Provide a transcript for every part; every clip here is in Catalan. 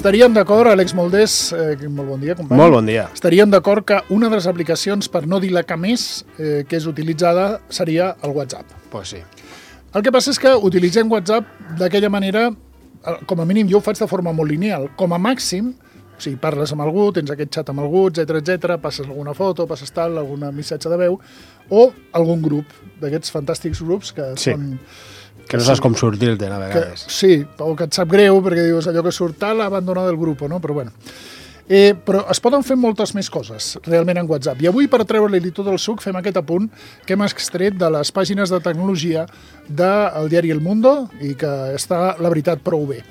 Estaríem d'acord, Àlex Moldés, molt bon dia, company. Molt bon dia. Estaríem d'acord que una de les aplicacions, per no dir la que més, que és utilitzada, seria el WhatsApp. Pues sí. El que passa és que utilitzem WhatsApp d'aquella manera, com a mínim jo ho faig de forma molt lineal. Com a màxim, o sigui, parles amb algú, tens aquest xat amb algú, etc, passes alguna foto, passes tal, algun missatge de veu, o algun grup d'aquests fantàstics grups que són... Que no saps com sortir-te'n a vegades. Sí, o que et sap greu perquè dius allò que surt tal, abandonat del grup, no? Però bueno. Però es poden fer moltes més coses realment en WhatsApp. I avui, per treure-li tot el suc, fem aquest apunt que hem extret de les pàgines de tecnologia del diari El Mundo i que està, la veritat, prou bé.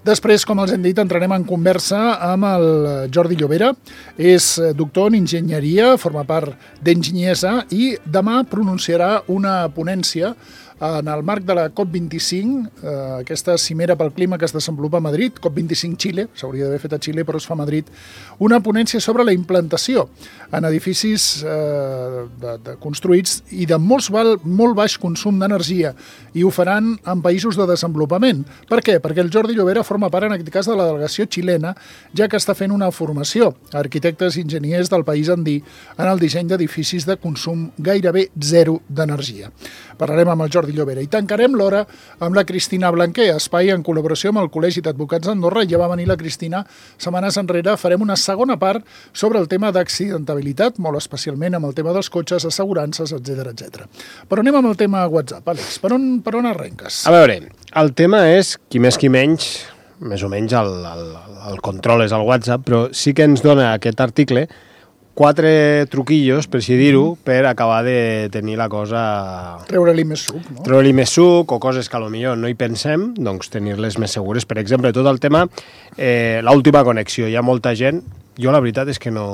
Després, com els hem dit, entrarem en conversa amb el Jordi Llobera. És doctor en enginyeria, forma part d'Enginyesa i demà pronunciarà una ponència en el marc de la COP25, aquesta cimera pel clima que es desenvolupa a Madrid, COP25 Xile, s'hauria d'haver fet a Xile però es fa a Madrid, una ponència sobre la implantació en edificis construïts i de molt baix consum d'energia, i ho faran en països de desenvolupament. Per què? Perquè el Jordi Llobera forma part, en aquest cas, de la delegació xilena, ja que està fent una formació a arquitectes i enginyers del país andí en el disseny d'edificis de consum gairebé zero d'energia. Parlarem amb el Jordi Llobera i tancarem l'hora amb la Cristina Blanquer, espai en col·laboració amb el Col·legi d'Advocats d'Andorra. Ja va venir la Cristina setmanes enrere. Farem una segona part sobre el tema d'accidentabilitat, molt especialment amb el tema dels cotxes, assegurances, etc. Però anem amb el tema WhatsApp. Àlex, per on arrenques? A veure, el tema és, qui més qui menys, més o menys el control és el WhatsApp, però sí que ens dona aquest article 4 truquillos, per així dir-ho, per acabar de tenir la cosa... Treure-li més suc, no? Treure-li més suc, o coses que potser no hi pensem, doncs tenir-les més segures. Per exemple, tot el tema, l'última connexició. Hi ha molta gent... Jo la veritat és que no...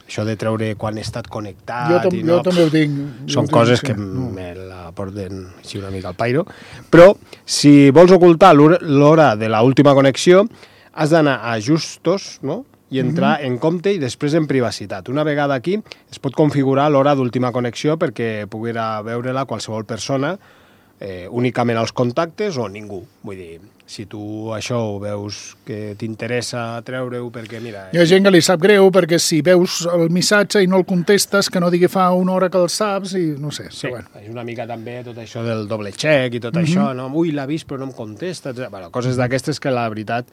Això de treure quan he estat connectat... Jo també ho tinc. Són coses que me la porten així una mica al pairo. Però, si vols ocultar l'hora de l'última connexió, has d'anar a ajustos, no?, i entrar en compte i després en privacitat. Una vegada aquí es pot configurar l'hora d'última connexió perquè poguera veure-la qualsevol persona, únicament els contactes o ningú. Vull dir, si tu això ho veus que t'interessa treure-ho perquè, mira... Hi ha gent que li sap greu perquè si veus el missatge i no el contestes, que no digui fa una hora que el saps i no sé. Sí, bueno. És una mica també tot això del doble check i tot això, no? Ui, l'ha vist però no em contesta. Bueno, coses d'aquestes que la veritat...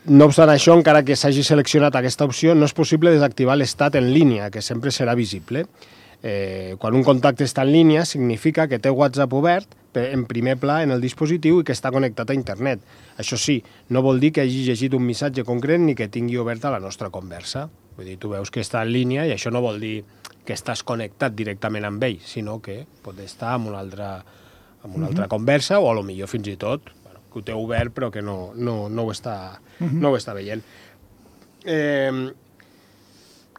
No obstant això, encara que s'hagi seleccionat aquesta opció, no és possible desactivar l'estat en línia, que sempre serà visible. Quan un contacte està en línia, significa que té WhatsApp obert en primer pla en el dispositiu i que està connectat a internet. Això sí, no vol dir que hagi llegit un missatge concret ni que tingui oberta la nostra conversa. Vull dir, tu veus que està en línia i això no vol dir que estàs connectat directament amb ell, sinó que pot estar en una altra conversa o potser fins i tot que ho té obert però que no ho està veient.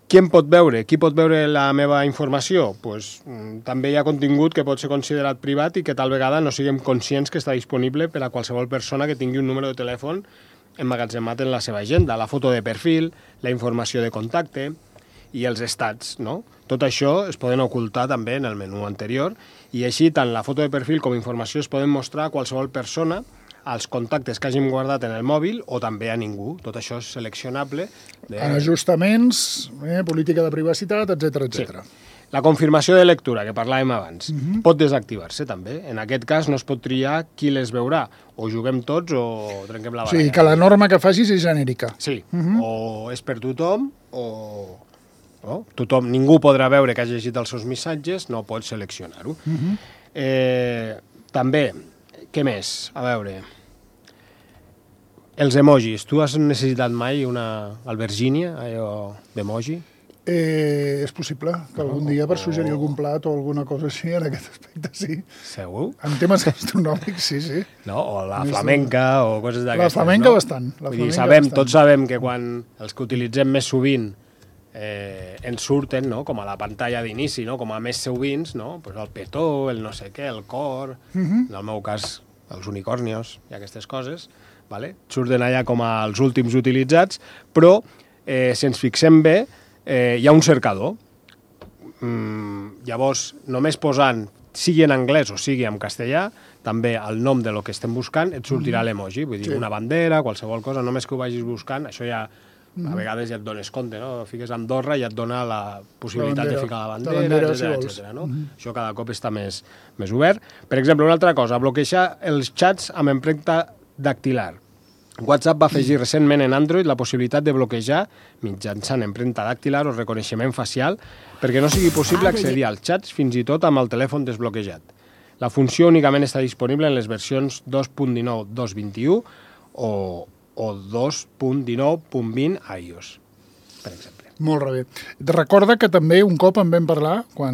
Qui em pot veure? Qui pot veure la meva informació? Pues, també hi ha contingut que pot ser considerat privat i que tal vegada no siguem conscients que està disponible per a qualsevol persona que tingui un número de telèfon emmagatzemat en la seva agenda. La foto de perfil, la informació de contacte i els estats, no? Tot això es poden ocultar també en el menú anterior i així tant la foto de perfil com informació es poden mostrar a qualsevol persona, als contactes que hàgim guardat en el mòbil o també a ningú. Tot això és seleccionable. En ajustaments, política de privacitat, etc. Sí. La confirmació de lectura, que parlàvem abans, pot desactivar-se també. En aquest cas no es pot triar qui les veurà. O juguem tots o trenquem la baralla. Sí, que la norma que facis és genèrica. Sí, o és per tothom o... No? Tothom, ningú podrà veure que hagi llegit els seus missatges, no pot seleccionar-ho. També, què més? A veure... Els emojis. Tu has necessitat mai una albergínia, allò d'emoji? És possible que algun dia per suggerir algun plat o alguna cosa així en aquest aspecte, sí. Segur? En temes gastronòmics, sí. No? O la flamenca o coses d'aquestes. La flamenca bastant. Tots sabem que quan els que utilitzem més sovint ens surten, no? Com a la pantalla d'inici, no? Com a més sovint, no? Pues el petó, el no sé què, el cor, en el meu cas els unicornios i aquestes coses, vale? Surten allà com els últims utilitzats, però si ens fixem bé, hi ha un cercador. Llavors, només posant sigui en anglès o sigui en castellà, també el nom de lo que estem buscant et sortirà l'emoji, vull dir, una bandera, qualsevol cosa, només que ho vagis buscant, això ja a vegades ja et dones compte, no? Fiques Andorra i et dona la possibilitat de ficar la bandera, etcètera, no? Això cada cop està més obert. Per exemple, una altra cosa, bloquejar els xats amb empremta dactilar. WhatsApp va afegir recentment en Android la possibilitat de bloquejar mitjançant empremta dactilar o reconeixement facial perquè no sigui possible accedir als xats fins i tot amb el telèfon desbloquejat. La funció únicament està disponible en les versions 2.19, 2.21 o 2.19.20 iOS, per exemple. Molt bé. Recorda que també un cop en vam parlar, quan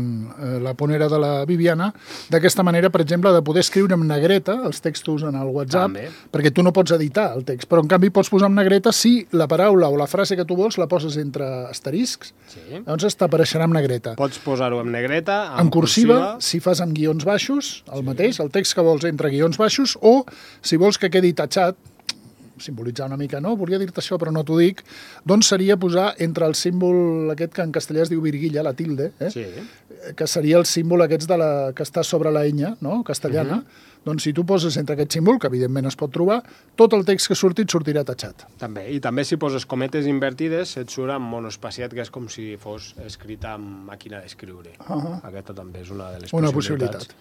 la pont era de la Viviana, d'aquesta manera, per exemple, de poder escriure amb negreta els textos en el WhatsApp, perquè tu no pots editar el text, però en canvi pots posar amb negreta si la paraula o la frase que tu vols la poses entre asteriscs, llavors t'apareixerà amb negreta. Pots posar-ho amb negreta, en cursiva, si fas amb guions baixos, el mateix, el text que vols entre guions baixos, o si vols que quedi tatxat, simbolitzar una mica, no? Volia dir-te això, però no t'ho dic, doncs seria posar entre el símbol aquest que en castellà es diu virguilla, la tilde, que seria el símbol aquests que està sobre la enya, no? Castellana, doncs si tu poses entre aquest símbol, que evidentment es pot trobar, tot el text que surti et sortirà tatxat. També, i també si poses cometes invertides et surt amb monospaciat, que és com si fos escrita amb màquina d'escriure. Aquesta també és una de les possibilitats.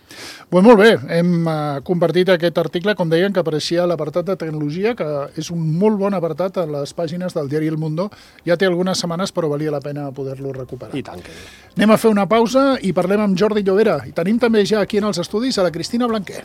Pues molt bé, hem compartit aquest article, com deien, que apareixia a l'apartat de tecnologia, que és un molt bon apartat a les pàgines del diari El Mundo. Ja té algunes setmanes, però valia la pena poder-lo recuperar. I tant que bé. Anem a fer una pausa i parlem amb Jordi Llobera. I tenim també ja aquí en els estudis a la Cristina Blanquer.